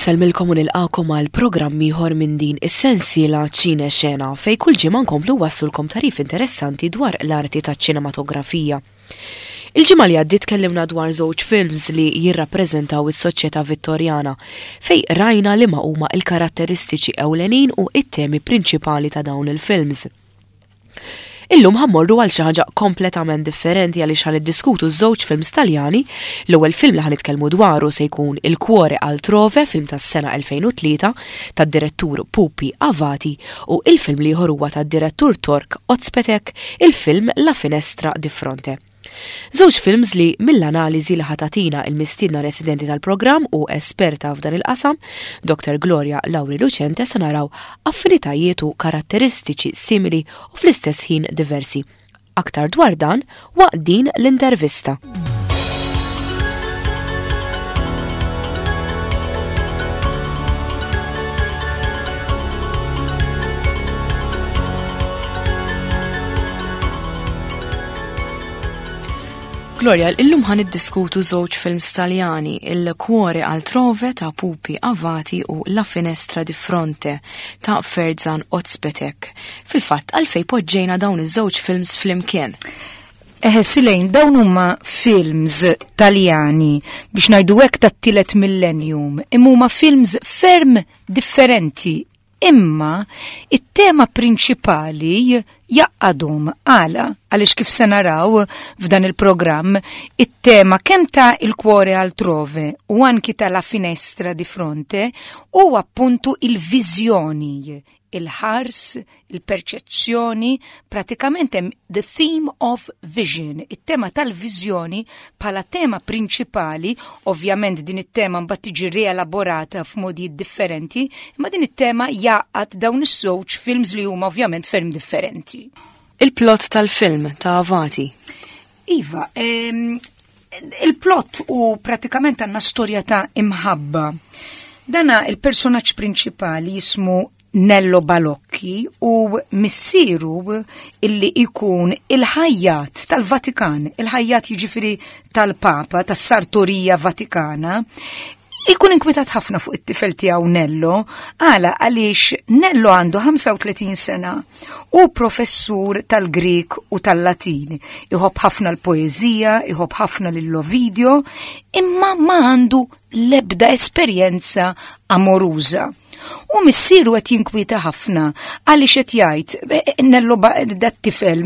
Insellmilkom u nilqakom għal programm ieħor minn din is-sensiela Ċine Xena fej kull ġimgħa nkomplu wassulkom tarif interessanti dwar l-arti taċ-ċinematografija. Il-ġimgħa li għaddiet tkellimna dwar żewġ films li jirrappreżentaw is-soċjetà Vittorjana fej rajna li ma huma l-karatteristiċi ewlenin u it-temi prinċipali ta' dawn il-films. Illum ħa mmorru għal xi ħaġa kompletament differenti għaliex ħa niddiskutu żewġ films Taljani. L-ewwel film li ħa nitkellmu dwaru se jkun Il Cuore Altrove, film tas-sena 2003 tad-direttur Pupi Avati u il-film l-ieħor huwa tad-direttur Tork Ozpetek, il-film La Finestra di Fronte. Żewġ films li mill-analiżi li ħa tagħtina il-mistiedna residenti tal-programm u esperta f'dan il-qasam, Dr. Gloria Lauri Lucente se naraw affinitajiet u karatteristiċi simili u fl-istess ħin diversi. Aktar dwar dan waqt din l-intervista. Gloria, illum ħan iddiskutu żewġ films Taljani, Il Cuore Altrove ta' Pupi Avati u La Finestra di Fronte ta' Ferzan Ozpetek. Fil-fatt, għalfej poġġejna dawn iż-żewġ films flimkien. Eħe, Silejn, dawn huma films Taljani biex ngħidu hekk tat-tielet millennium, imma huma films ferm differenti Imma it-tema prinċipali jgħaqqadhom. Għala? Għaliex kif se naraw f'dan il-programm, it-tema kemm ta' Il cuore altrove u anki ta' La finestra di fronte hu appuntu il-viżjoni, il-ħars, il-perċezzjoni, pratikament hemm the theme of vision, it-tema tal-viżjoni bħala tema prinċipali, ovvjament din it-tema mbagħad tiġi rielaborata f'modijiet differenti, imma din it-tema jgħaqqad dawn iż-żewġ films li huma ovvjament ferm differenti. Il-plot tal-film ta' Avati. Iva, il-plot u pratikament għandna storja ta' imħabba. Dana il-personaġġ prinċipali jismu Nello Balocchi u missieru illi ikun il-ħajjat tal-Vatikan, il-ħajjat jiġifieri tal-Papa, tas-Sartorija Vatikana, ikun inkwitat ħafna fuq it-tifel tiegħu Nello, għala għaliex Nello għandu 35 sena u professur tal-Grik u tal-Latin. Iħobb ħafna l-poeżija, iħobb ħafna lil Ovidio, imma ma għandu l-ebda esperjenza amoruża. U missieru qed jinkwieta ħafna għaliex qed jgħid e, e, Nello dat-tifel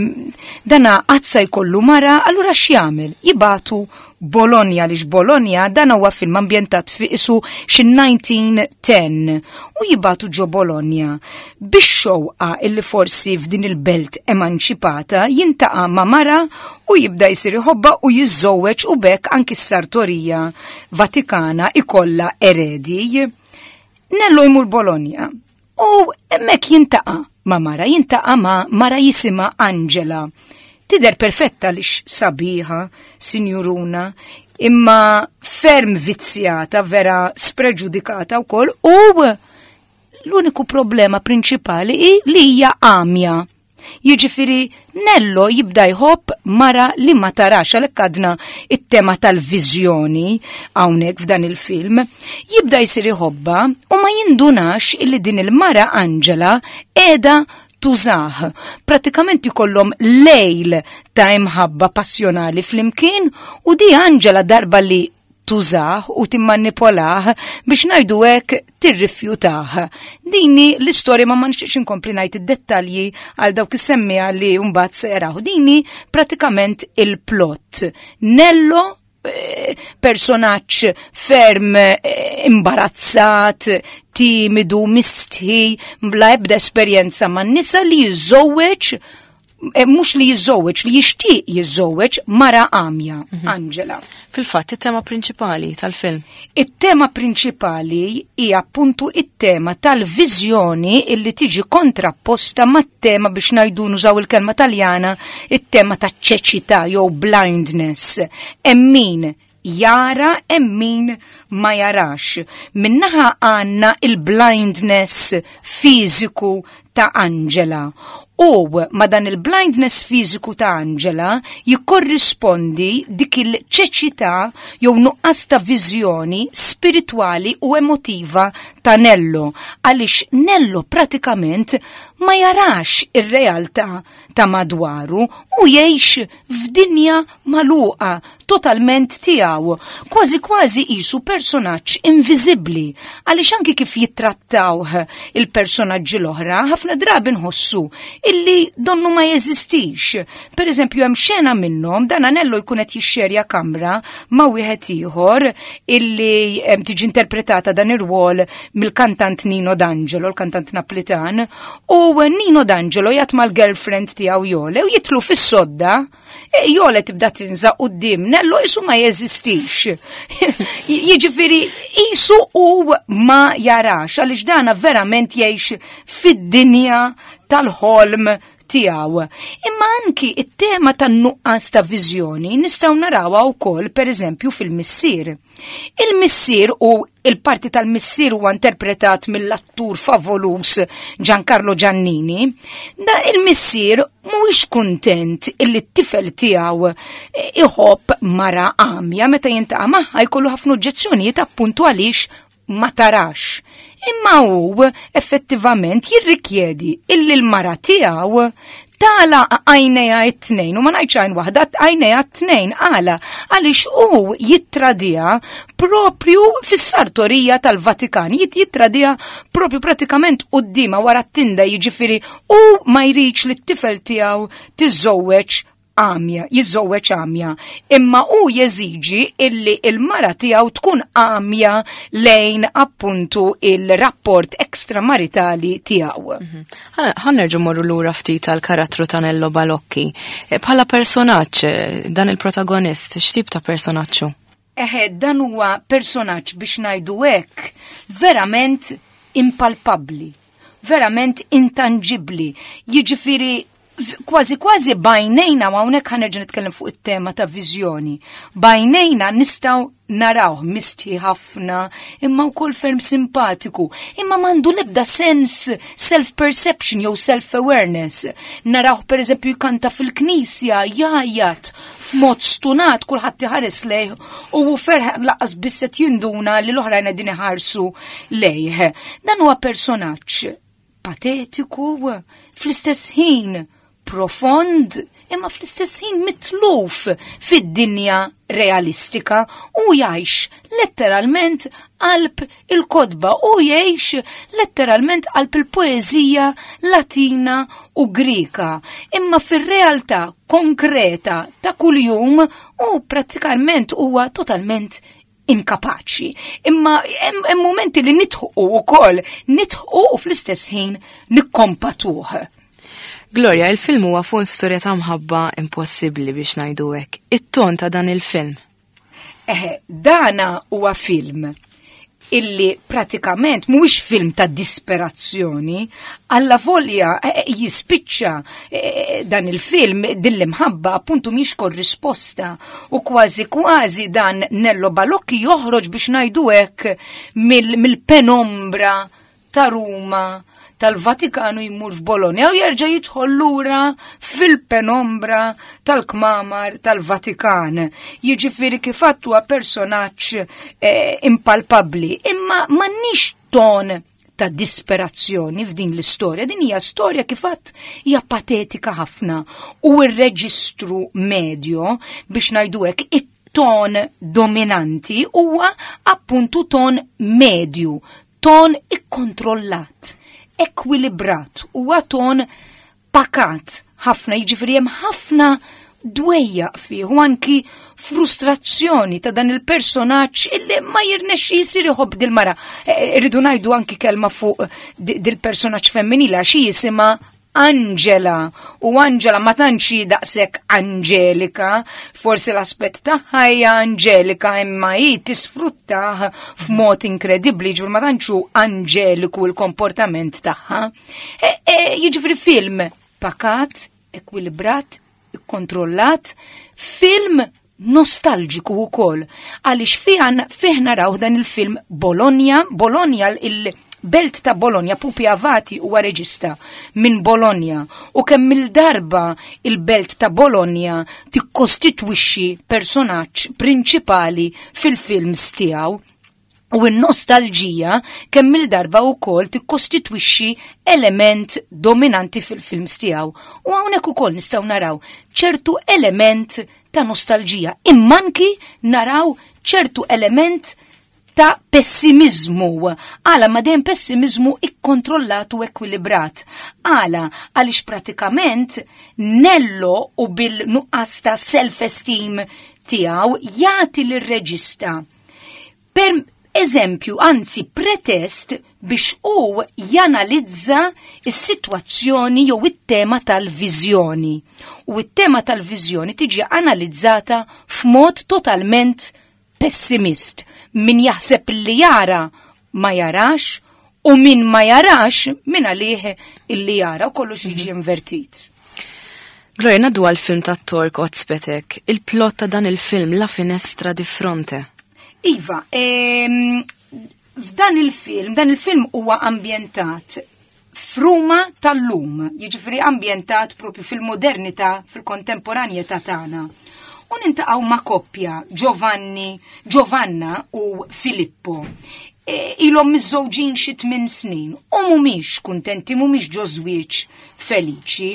dana qatt se jkollu mara, allura x'jagħmel? Jibatu Bologna għaliex Bologna dan huwa film ambjentat fi isu xi 1910 u jibatu ġo Bologna biex xewqa illi forsi f'din il-belt emanċipata jintaqa' ma' mara u jibda jsir iħobba u jiżżewweġ u bekk anki s-sartorija Vatikana ikollha eredi. Nello jmur Bologna u hemmhekk jintaqa' ma' mara, jintaqa' ma' mara jisimha Angela. Tidher perfetta lix sabiħa, sinjuruna, imma ferm vizzjata, vera spreġudikata wkoll u l-uniku problema prinċipali hi li hija għamja. Jiġifieri Nello jibda jħobb mara li ma tarax għalhekk għadna it-tema tal-viżjoni hawnhekk f'dan il-film, jibda jsir iħobbha u ma jindunax illi din il-mara Angela qiegħda tużah. Pratikament ikollhom lejl ta' imħabba passjonali flimkien u di Angela darba li tużah u timmanipolah biex ngħidu hekk tirrifjutah. Dini l-istorja ma ma nixtieqx inkompli ngħid id-dettalji għal dawk is-semmiegħa li mbagħad se jaraw. Dini pratikament il-plot. Nello eh, personaġġ ferm eh, imbarazzat, timidu, mistħi, bla ebda esperjenza man-nisa li jiżżewweġ Eh, mhux li jiżżewweġ, li jixtieq jiżżewweġ mara għamja, mhm. Angela. Fil-fatt, it-tema prinċipali tal-film. It-tema prinċipali hija appuntu it-tema tal-viżjoni illi tiġi kontrapposta mat-tema biex ngħidu nużaw il-kelma Taljana, it-tema taċ-ċeċità jew blindness. Hemm min jara hemm min ma jarax. Minnaħa għandna il-blindness fiżiku ta' Angela. U ma dan il-blindness fiżiku ta' Angela jikkorrispondi dik il-ċeċità jew nuqqas ta' viżjoni spiritwali u emotiva ta' Nello, għaliex Nello pratikament ma jarax ir-realtà ta' madwaru u jgħix f'dinja magħluqa totalment tiegħu, kważi kważi qisu personaġġ inviżibbli, għaliex anki kif jittrattawh il-personaġġi l-oħra, ħafna drabi nħossu illi donnu ma jeżistix. Per eżempju, hemm xena minnhom dan Anello jkun qed jixxerja kamra ma' wieħed ieħor illi tiġi interpretata dan ir-rwol mill-kantant Nino D'Angelo, l-kantant Naplitan, u Nino D'Angelo jgħat mal-girlfriend tiegħu Jole u jitlu fis-sodda, e Jole tibda tinża quddiem Nello isu ma jeżistix. Jiġifieri isu u ma jarax għaliex dana verament jgħix fid-dinja tal-ħolm tiegħu. Imma anki it-tema tan-nuqqas ta' viżjoni nistgħu narawha wkoll pereżempju fil-missier. Il-missier u il-parti tal-missier huwa interpretat mill-attur favolus Giancarlo Giannini, da il-missier mhuwiex kuntent illi t-tifel tiegħu iħobb mara għamja meta jintaqa' magħha jkollu ħafna oġġezzjonijiet appuntu għaliex ma tarax. Imma hu effettivament jirrikjedi illi l-mara tiegħu tala għajnejha t-tnejn u ma ngħidx għajn waħda għajnejha t-tnejn għala għaliex hu jittradija propju fis-sartorija tal-Vatikan, jittradija propju pratikament qudiema wara t-tinda jiġifieri u ma jridx li t-tifel tiegħu tiżżewweġ għamja, jiżżewweġ għamja, imma hu jeżiġi illi il-mara tiegħu tkun għamja lejn appuntu il-rapport ekstramaritali tiegħu. Mhm. Ħa nerġgħu morru lura ftit għal karattru ta' Nello Balocchi. E, bħala personaġġ, e, dan il-protagonist, x'tip ta' personaġġ Eħe, dan huwa personaġġ biex ngħidu hekk verament impalpabbli, verament intangibbli. Jiġifieri kważi kważi b'għajnejna, u hawnhekk ħa nerġa' nitkellem fuq it-tema ta' viżjoni. B'għajnejna nistgħu narawh mistħi ħafna, imma wkoll ferm simpatiku, imma m'għandu l-ebda sens self-perception jew self-awareness. Narawh pereżempju jkanta fil-knisja, jgħajjat f'mod stunat kulħadd iħares lejh u hu ferħ lanqas biss qed jinduna li l-oħrajn qegħdin iħarsu lejh. Dan huwa personaġġ patetiku, fl-istess ħin profond, imma fl-istess ħin mitluf fid-dinja realistika u jgħix letteralment qalb il-kotba u jgħix letteralment qalb il-poeżija Latina u Grika. Imma fir-realtà konkreta ta' kuljum u prattikament huwa totalment inkapaċi. Imma hemm momenti li nidħqu wkoll, nidħqu u fl-istess ħin nikkompatuh. Gloria, il-film huwa fuq storja ta' mħabba impossibbli biex ngħidu hekk. It-ton ta' dan il-film. Eħe, dana huwa film illi pratikament mhuwiex film ta' disperazzjoni, alla volja eh, eh, jispiċċa eh, dan il-film din l-imħabba appuntu mhix korrisposta u kważi kważi dan Nello Balocchi joħroġ biex ngħidu hekk mill-penombra ta' Ruma tal-Vatikanu jmur f'Bologna u jerġa' jidħol lura fil-penombra tal-kmamar tal-Vatikan. Jiġifieri kif huwa personaġġ eh, impalpabbli, imma m'għandniex ton ta' disperazzjoni f'din l-istorja. Din hija storja kif għedt hija patetika ħafna u r-reġistru medju biex ngħidu hekk it-ton dominanti huwa appuntu ton medju, ton ikkontrollat, ekwilibrat, huwa ton pakat ħafna, jiġifieri hemm ħafna dwejjaq fih u anki frustrazzjoni ta' dan il-personaġġ illi ma jirnexxi jisir iħobb dil-mara. E, irridu ngħidu anki kelma fuq dil-personaġġ femminili għax jisimha Angela u Angela ma tantx daqshekk anġelika, forsi l-aspett tagħha hija anġelika imma hi tisfruttah f'mod inkredibbli, ġifieri ma tantx hu anġeliku l-komportament tagħha. E, e, jiġifieri film pakat, ekwilibrat, ikkontrollat, film nostalġiku wkoll għaliex fih naraw dan il-film Bologna, Bologna il- Belt ta' Bologna, Pupi Avati huwa reġista minn Bologna u kemm il-darba il-belt ta' Bologna tikkostitwixxi personaġġ prinċipali fil-films tiegħu. U n-nostalġija kemm il-darba wkoll tikkostitwixxi element dominanti fil-films tiegħu. U hawnhekk ukoll nistgħu naraw ċertu element ta' nostalġija, imma anki naraw ċertu element ta' pessimiżmu. Għala ma dejjem pessimiżmu ikkontrollat u ekwilibrat. Għala għaliex pratikament Nello u bil-nuqqas ta' self-esteem tiegħu jagħti lir-reġista per eżempju, anzi pretest biex hu janalizza s-sitwazzjoni jew it-tema tal-viżjoni. U it-tema tal-viżjoni tiġi analizzata f'mod totalment pessimist. Min jaħseb li jara ma jarax u min ma jarax min għalih illi jara u kollox jiġi invertit. Gloria, naddu għal film ta' Tork Ozpetek, il-plot ta' dan il-film La Finestra di Fronte. Iva, f'dan il-film, dan il-film huwa ambjentat f'Ruma tal-lum, jiġifieri ambjentat propju fil-modernità, fil-kontemporanjetà tagħna. U nintaqgħu ma' koppja, Giovanni, Giovanna u Filippo. E, ilhom miżżewġin xi tmien snin u mhumiex kuntenti, mhumiex ġo żwieġ feliċi.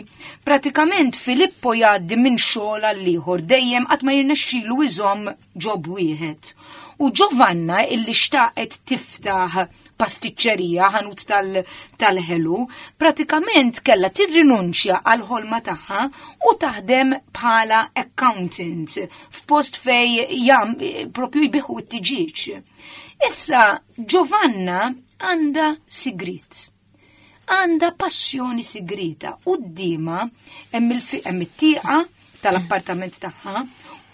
Pratikament Filippo jgħaddi minn xogħol għal ieħor dejjem qatt ma jirnexxilu iżomm ġob wieħed. U Giovanna illi xtaqet tiftaħ pastiċċerija, ħanut tal-ħelu, pratikament kellha tirrinunċja għal ħolma tagħha u taħdem bħala accountant f'post fej jam propju jbiħu t-tiġiġ. Issa Giovanna għandha sigrit. Għandha passjoni sigrita quddiemha hemm it-tieqa tal-appartament tagħha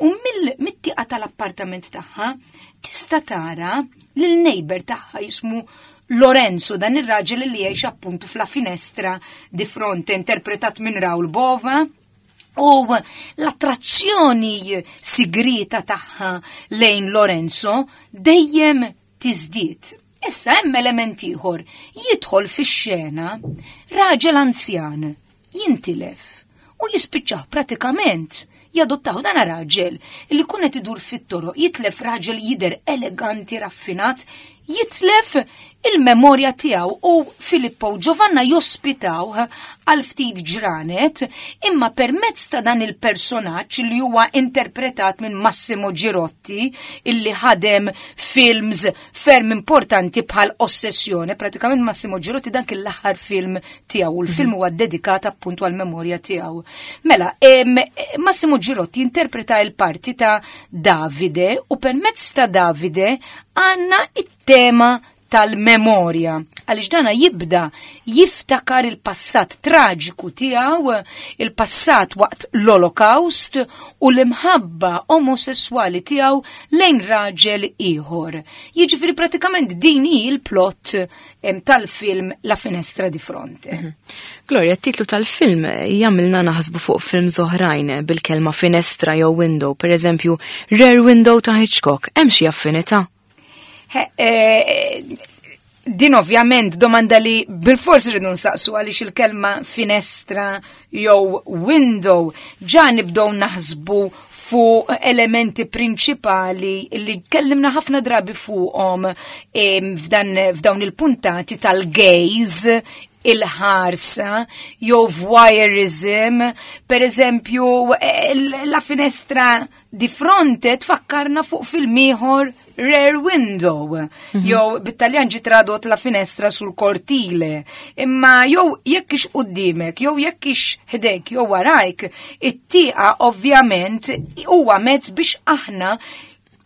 u mit-tieqa tal-appartament tagħha tista' tara lil neighbor tagħha jismu Lorenzo, dan ir-raġel li jgħix appuntu fla finestra di fronte, interpretat minn Raul Bova. U l-attrazzjoni sigrita tagħha lejn Lorenzo dejjem tiżdied. Issa hemm element ieħor jidħol fix-xena raġel anzjan jintilef u jispiċċaw pratikament jadottaw dan raġel li kun qed idur fit-toroq jitlef raġel jidher eleganti raffinat jitlef il-memorja tiegħu u Filippo u Giovanna jospitaw għal ftit ġranet imma permezz ta' dan il-personaġġ li huwa interpretat minn Massimo Girotti illi ħadem films ferm importanti bħal Ossessjoni, pratikament Massimo Girotti dan kien l-aħħar film tiegħu u l-film huwa dedikat appuntu għal memorja tiegħu. Mela, Massimo Girotti interpreta il-parti ta' Davide u permezz ta' Davide għandna it-tema tal-memorja għaliex dana jibda jiftakar il-passat traġiku tiegħu, il-passat waqt l-Olokawst u l-imħabba omosessuali tiegħu lejn raġel ieħor. Jiġifieri pratikament din hi l-plot tal-film La Finestra di Fronte. Mhm. Gloria, t-titlu tal-film jagħmilna naħsbu fuq films oħrajn bil-kelma finestra jew window, per eżempju, Rare Window ta' Hitchcock, hemm xi affinità? Eh, din ovvjament domanda li bil-fors rridu nsaqsu għaliex il-kelma finestra jew window ġa nibdew naħsbu fuq elementi prinċipali li tkellimna ħafna drabi fuqhom f'dawn il-puntati tal-gaze il-ħarsa jew voyeurism, per eżempju la finestra di fronte tfakkarna fuq film ieħor Rear Window, mhm. jew bit-Taljan ġi tradot la finestra sul cortile. Imma jew jekk ix qudiemek, jew jekk ix ħdejk, jew warajk, it-tieqa ovvjament huwa mezz biex aħna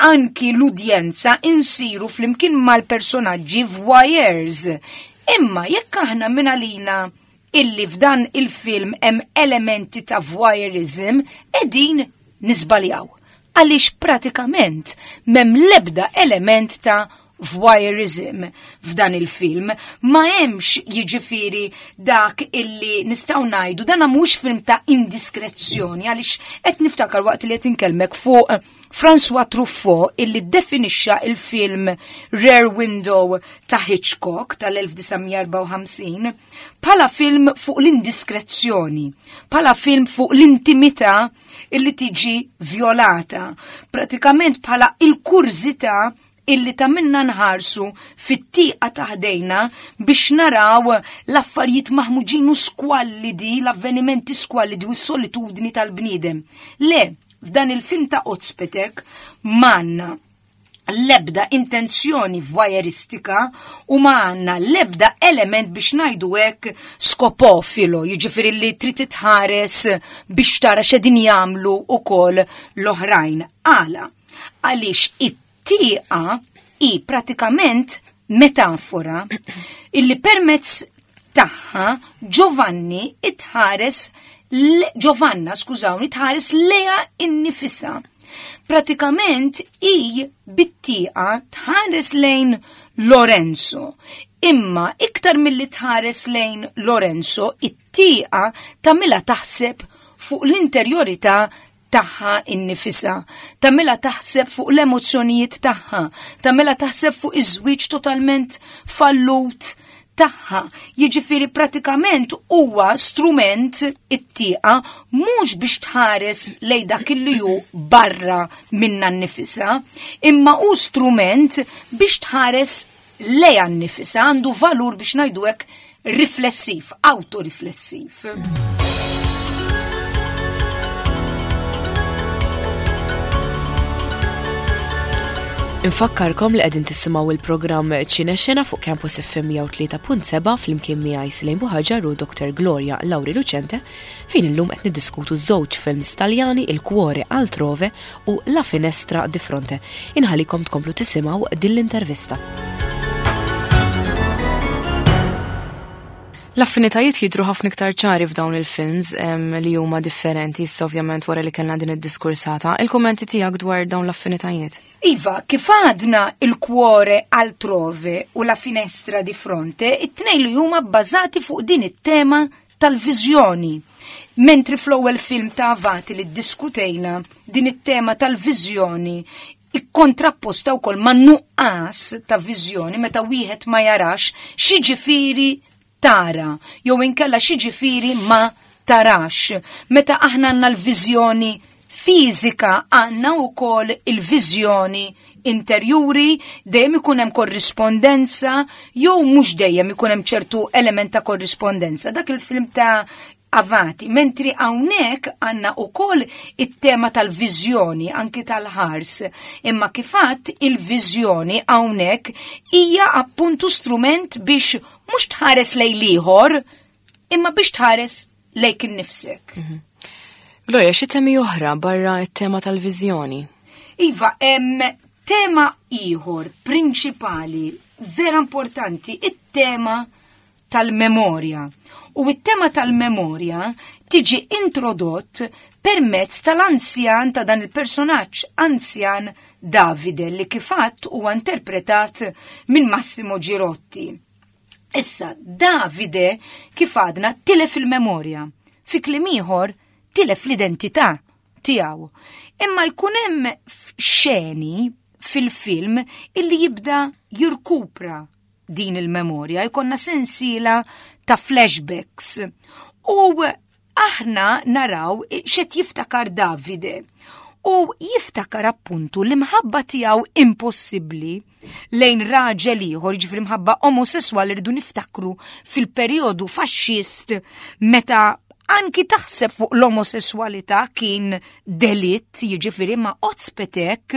anki l-udjenza insiru flimkien mal-personaġġi voyeurs. Imma jekk aħna minn għalina illi f'dan il-film hemm elementi ta' voyeurism qegħdin niżbaljaw. Għaliex pratikament m'hemm l-ebda element ta' voyeurism f'dan il-film, ma hemmx jiġifieri dak illi nistgħu ngħidu dan mhux film ta' indiskrezzjoni għaliex qed niftakar waqt li qed inkellmek fuq François Truffaut illi ddefinixxa il-film Rear Window ta' Hitchcock tal-1954 bħala film fuq l-indiskrezzjoni, bħala film fuq l-intimità illi tiġi vjolata, pratikament bħala il-kurżità illi ta' minna nħarsu fit-tieqa ta' ħdejna biex naraw l-affarijiet maħmuġin u skwallidi, l-avvenimenti skwallidi u s-solitudni tal-bniedem. Le, f'dan il-film ta' Ozpetek manna l-ebda intenzjoni voyeuristika u ma għandna l-ebda element biex ngħidu hekk skopofilo, jiġifieri li trid titħares biex tara x'qegħdin jagħmlu wkoll l-oħrajn. Għala? Għaliex it-tieqa hi pratikament metafora illi permezz tagħha Giovanni itħares Giovanna, skużawni, tħares leja innifisa. Pratikament i bit-tieqa tħares lejn Lorenzo. Imma iktar milli tħares lejn Lorenzo, it-tieqa tagħmilha taħseb fuq l-interjorità tagħha innifisha, tagħmilha taħseb fuq l-emozzjonijiet tagħha, tagħmilha taħseb fuq iż-żwieġ totalment fallut tagħha. Jiġifieri pratikament huwa strument it-tieqa mhux biex tħares lej dak li hu barra minna nnifisha, imma hu strument biex tħares lejha nnifisha, għandu valur biex ngħidu hekk riflessiv, autoriflessiv. Infakkarkom li qegħdin tisimgħu il-programm Ċine Xena fuq Campus FM 103.7 flimkien miegħi Silejn Buħaġar u Dr. Gloria Lauri Lucente fejn illum qed niddiskutu żewġ films Taljani Il Cuore Altrove u La Finestra di Fronte. Inħallikom tkomplu tisimgħu din l-intervista. L-affinitajiet jidhru ħafna iktar ċari f'dawn il-films li huma differenti issa ovvjament wara li kellna din id-diskursata. Il-kummenti tiegħek dwar dawn l-affinitajiet? Iva, kif għadna il cuore altrove u la finestra di fronte, it-tnejn li huma bbażati fuq din it-tema tal-viżjoni. Mentri fl-ewwel film ta' Avati li ddiskutejna din it-tema tal-viżjoni ikkontrapposta wkoll ma' nuqqas ta' viżjoni meta wieħed ma jarax x'jiġifieri tara jew inkella x'jiġifieri ma tarax. Meta aħna għandna l-viżjoni fiżika għandna wkoll il-viżjoni interjuri, dejjem ikun hemm korrispondenza jew mhux dejjem ikun hemm ċertu element ta' korrispondenza. Dak il-film ta' Avati, mentri hawnhekk għandna wkoll it-tema tal-viżjoni anki tal-ħars. Imma kifat il-viżjoni hawnhekk hija appuntu strument biex mhux tħares lejn ieħor, imma biex tħares lejk innifsek. Mhm. Gloria, xi temi oħra barra t-tema tal-viżjoni? Iva, hemm tema ieħor prinċipali vera importanti, it-tema tal-memorja. U it-tema tal-memorja tiġi introdott permezz tal-anzjan ta' dan il-personaġġ anzjan Davide li kifat huwa interpretat minn Massimo Girotti. Issa, Davide kif għadna tilef il-memorja. Fi kliem ieħor tilef l-identità tiegħu. Imma jkun hemm xeni fil-film illi jibda jirkupra din il-memorja, jkollna sensiela ta' flashbacks. U aħna naraw xed jiftakar Davide. U jiftakar appuntu l-imħabba tiegħu impossibbli lejn raġel ieħor, ġifieri mħabba omosesswali rridu niftakru fil-perjodu faxxist meta anki taħseb fuq l-omosessualità kien delitt, jiġifieri ma' Ozpetek,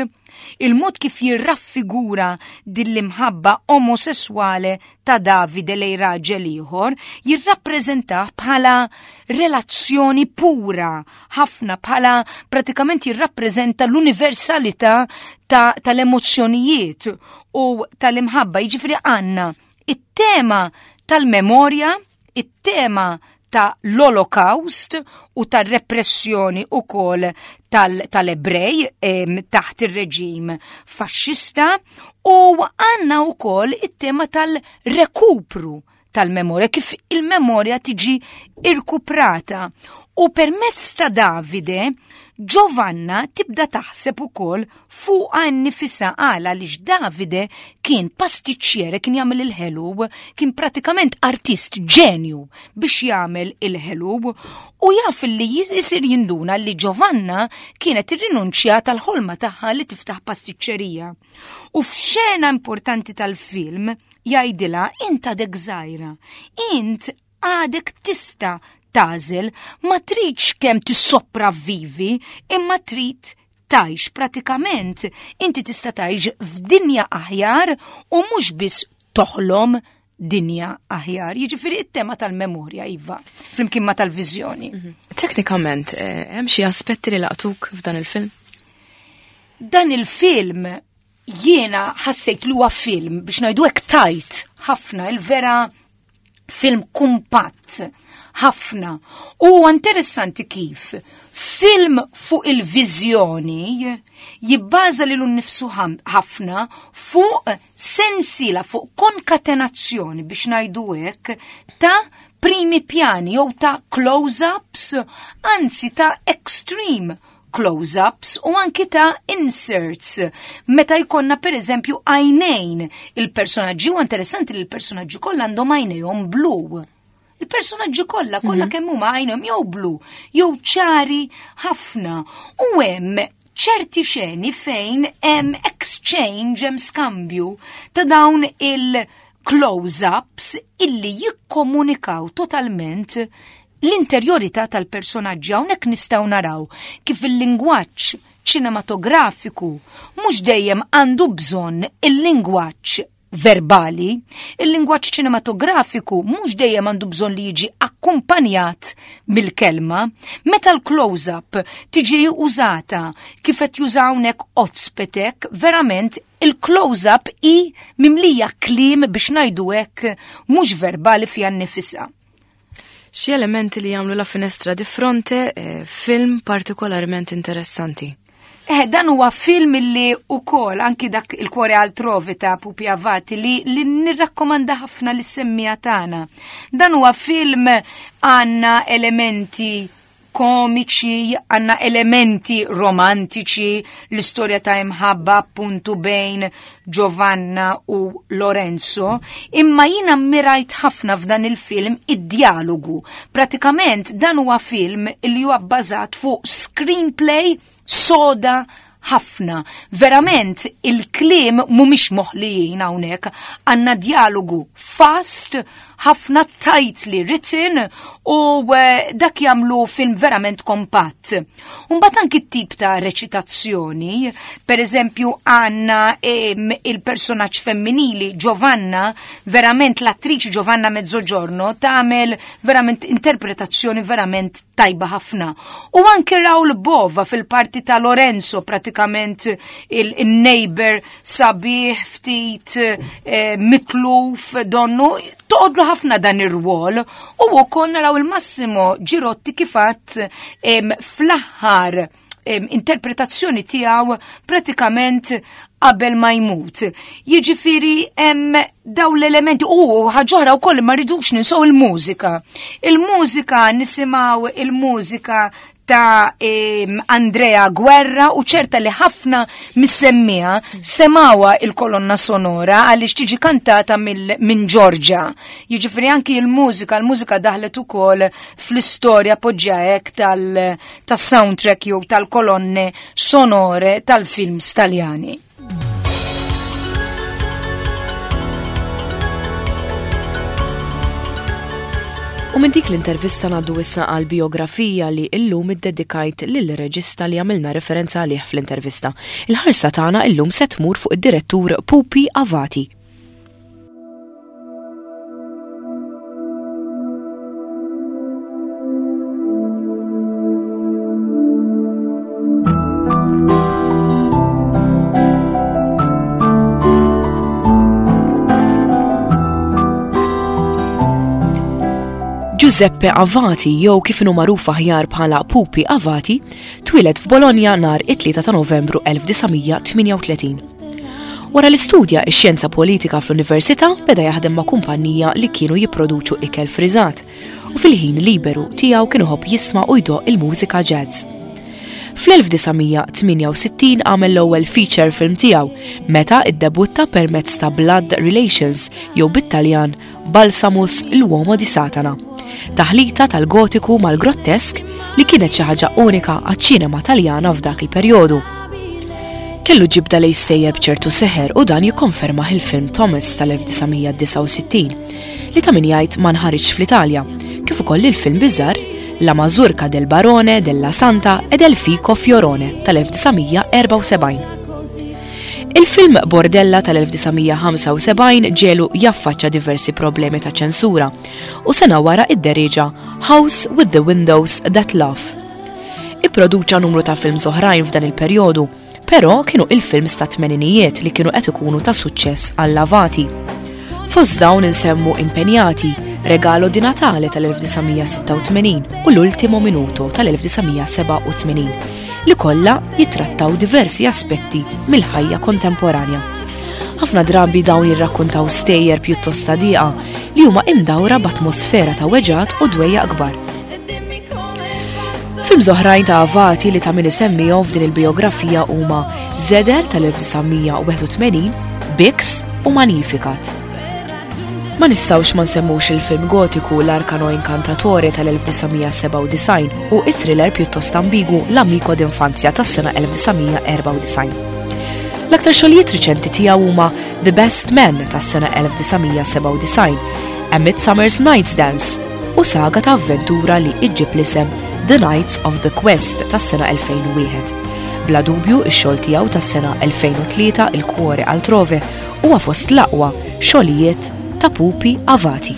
il-mod kif jirraffigura din l-imħabba omosessuale ta' Davide lejn raġel ieħor jirrappreżentah bħala relazzjoni pura ħafna bħala pratikament jirrappreżenta l-universalità tal-emozzjonijiet u tal-imħabba. Jiġifieri għandna it-tema tal-memorja, it-tema ta' l-Olokawst u tar-repressjoni ukoll tal-Ebrej taħt ir-reġim faxxista u għandna wkoll it-tema tal-rekupru tal-memorja, kif il-memorja tiġi irkuprata. U permezz ta' Davide, Giovanna tibda taħseb ukoll fuqha nnifisha għala għaliex Davide kien pastiċċiere, kien jagħmel il-ħelu, kien pratikament artist ġenju biex jagħmel il-ħelu u jaf li jisir jinduna li Giovanna kienet irrinunċjat għall-ħolma tagħha li tiftaħ pastiċċerija. U f'xena importanti tal-film jgħidilha int għadek żgħira, int għadek tista' tagħżel, ma tridx kemm tissopravvivi, imma trid tgħix pratikament inti tista' tgħix f'dinja aħjar u mhux biss toħlom dinja aħjar. Jiġifieri it-tema tal-memorja iva, flimkien ma tal-viżjoni. Mhm. Teknikament, eh, hemm xi aspetti li laqtuk f'dan il-film? Dan il-film jiena ħassejt li huwa film biex ngħidu hekk tajt ħafna il-vera film kumpatt ħafna. U interessanti kif film fuq il-viżjoni jibbaża lilu nnifsu ħafna fuq sensiela, fuq konkatenazzjoni biex ngħidu hekk ta' primi pjani jew ta' close-ups, anzi ta' extreme close-ups u anki ta' inserts. Meta jkollna per eżempju għajnejn il-personaġġi u interessanti li l-personaġġi kollha għandhom għajnejhom blu. Il-personaġġi kollha kollha mhm. kemm huma għajnhom jew blu jew ċari ħafna u hemm ċerti xeni fejn hemm exchange, hemm skambju ta' dawn il- close-ups illi jikkomunikaw totalment l-interjorità tal-personaġġi hawnhekk nistgħu naraw kif il-lingwaġġ ċinematografiku mhux dejjem għandu bżonn il-lingwaġġ verbali, il-lingwaġġ ċinematografiku mhux dejjem għandu bżonn li jiġi akkumpanjat mill-kelma. Meta l-close-up tiġi użata kif qed juża hawnhekk Ozpetek, verament il-close-up hi mimlija kliem biex ngħidu hekk mhux verbali fiha nnifisha. Xi elementi li jagħmlu La Finestra di Fronte eh, film partikolarment interessanti? Eh, dan huwa film li ukoll anki dak il-Cuore altrove ta' Pupi Avati li, li nirrakkomanda ħafna lis semmija tagħna. Dan huwa film għandna elementi komiċi, għanna elementi romantiċi, l-istorja ta' imħabba appuntu bejn Giovanna u Lorenzo, imma jina mirajt ħafna f'dan il-film id-dialogu. Pratikament dan huwa film li huwa bbażat fuq screenplay soda ħafna. Verament il-kliem mhumiex moħlijin hawnhekk, għandna dialogu fast, ħafna tightly written u eh, dak jagħmlu film verament kompatt. Mbagħad anki t-tip ta' reċitazzjoni, per eżempju għandna il-personaġġ femminili Giovanna, verament l-attriċi Giovanna Mezzogiorno tagħmel verament interpretazzjoni verament tajba ħafna. U anki Raul Bova fil-parti ta' Lorenzo, pratikament il-neighbor sabiħ ftit eh, mitluf donnu, toqodlu ħafna dan ir-rwol. U wkoll naraw il-Massimo Girotti kifat fl-aħħar interpretazzjoni tiegħu pratikament qabel ma jmut. Jiġifieri hemm daw l-elementi u ħaġoħra wkoll ma rridux ninsew il-mużika. Il-mużika nisimgħu il-mużika ta' Andrea Guerra u ċerta li ħafna mis-semmija semawa il-kolonna sonora għaliex tiġi kantata minn Giorgia. Jiġifieri anki il-mużika, il-mużika daħlet ukoll fl-istorja poġġa hekk tas-soundtrack jew tal-kolonne sonore tal-films Taljani. U minn dik l-intervista ngħaddu issa għal bijografija li illum iddedikajt lil reġista li għamilna referenza għalih fl-intervista. Il-ħarsa tagħna illum se tmur fuq id-direttur Pupi Avati. Giuseppe Avati jew kif inhu magħruf aħjar bħala Pupi Avati, twieled f'Bologna nhar it-3 ta' Novembru 1938. Wara li studja x-xjenza politika fl-università, beda jaħdem ma' kumpanija li kienu jipproduċu ikel friżat u fil-ħin liberu tiegħu kien iħobb jisma' u jdoqq il-mużika jazz. Fl-1968 għamel l-ewwel feature film tiegħu meta iddebutta permezz ta' Blood Relations jew bit-Taljan Balsamus L'uomo di Satana, taħlita tal-gotiku mal-grottesk li kienet xi ħaġa unika għaċ-ċinema Taljana f'dak il-perjodu. Kellu ġibda lejn stejjer b'ċertu seħer u dan jikkonfermah il-film Thomas tal-1969 li ta' min jgħid ma nħariġx fl-Italja, kif ukoll il-film biżarr La Mazurka del Barone della Santa e del Fico Fiorone tal-1974. Il-film Bordella tal-1975 ġelu jaffaċċa diversi problemi ta' ċensura u sena wara idderieġa House with the Windows That Laugh. Ipproduċa numru ta' films oħrajn f'dan il-perjodu, però kienu il-films ta' tmeninijiet li kienu qed ikunu ta' suċċess għal Avati. Fost dawn insemmu Impenjati, Regalo di Natale tal-1986 u L'Ultimo Minuto tal-1987. li kollha jittrattaw diversi aspetti mill-ħajja kontemporanja. Ħafna drabi dawn jirrakkuntaw stejjer pjuttost ta' diqa li huma imdawra b'atmosfera ta' weġgħat u dwejjaq kbar. Films oħrajn ta' Avati li ta' min isemmihom f'din il-bijografija huma Zeder tal-1981, Bix u Magnificat. Ma nistgħux ma nsemmux il-film gotiku L'Arcano Incantatore tal-1997 u it-thriller pjuttost ambigu L'Amico d'Infanzia tas-sena 1994. L-aktar xogħlijiet riċenti tiegħu huma The Best Man tas-sena 1997, A Midsummer's Night's Dance u saga ta' avventura li iġġib l-isem The Knights of the Quest tas-sena 2001. Bla dubju ix-xogħol tiegħu tas-sena 2003 Il Cuore Altrove huwa fost l-aqwa xogħlijiet ta' Pupi Avati.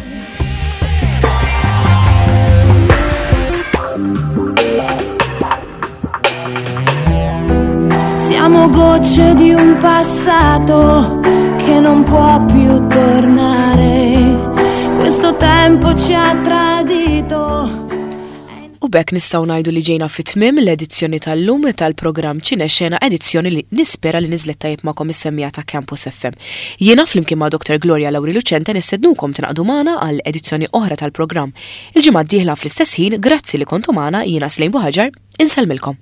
Siamo gocce di un passato che non può più tornare. Questo tempo ci ha tradito. U b'hekk nistgħu ngħidu li ġejna fi tmiem l-edizzjoni tal-lum tal-programm Ċinexena, edizzjoni li nispera li niżlet tajjeb magħkom is-semmiegħa ta' Campus FM. Jiena flimkien ma' Dr. Gloria Lauri Lucente nistednukom tingħaqdu magħna għal edizzjoni oħra tal-programm il-ġimgħa d-dieħla fl-istess ħin. Grazzi li kontu magħna, jiena Slejn Buħaġar, insellmilkom.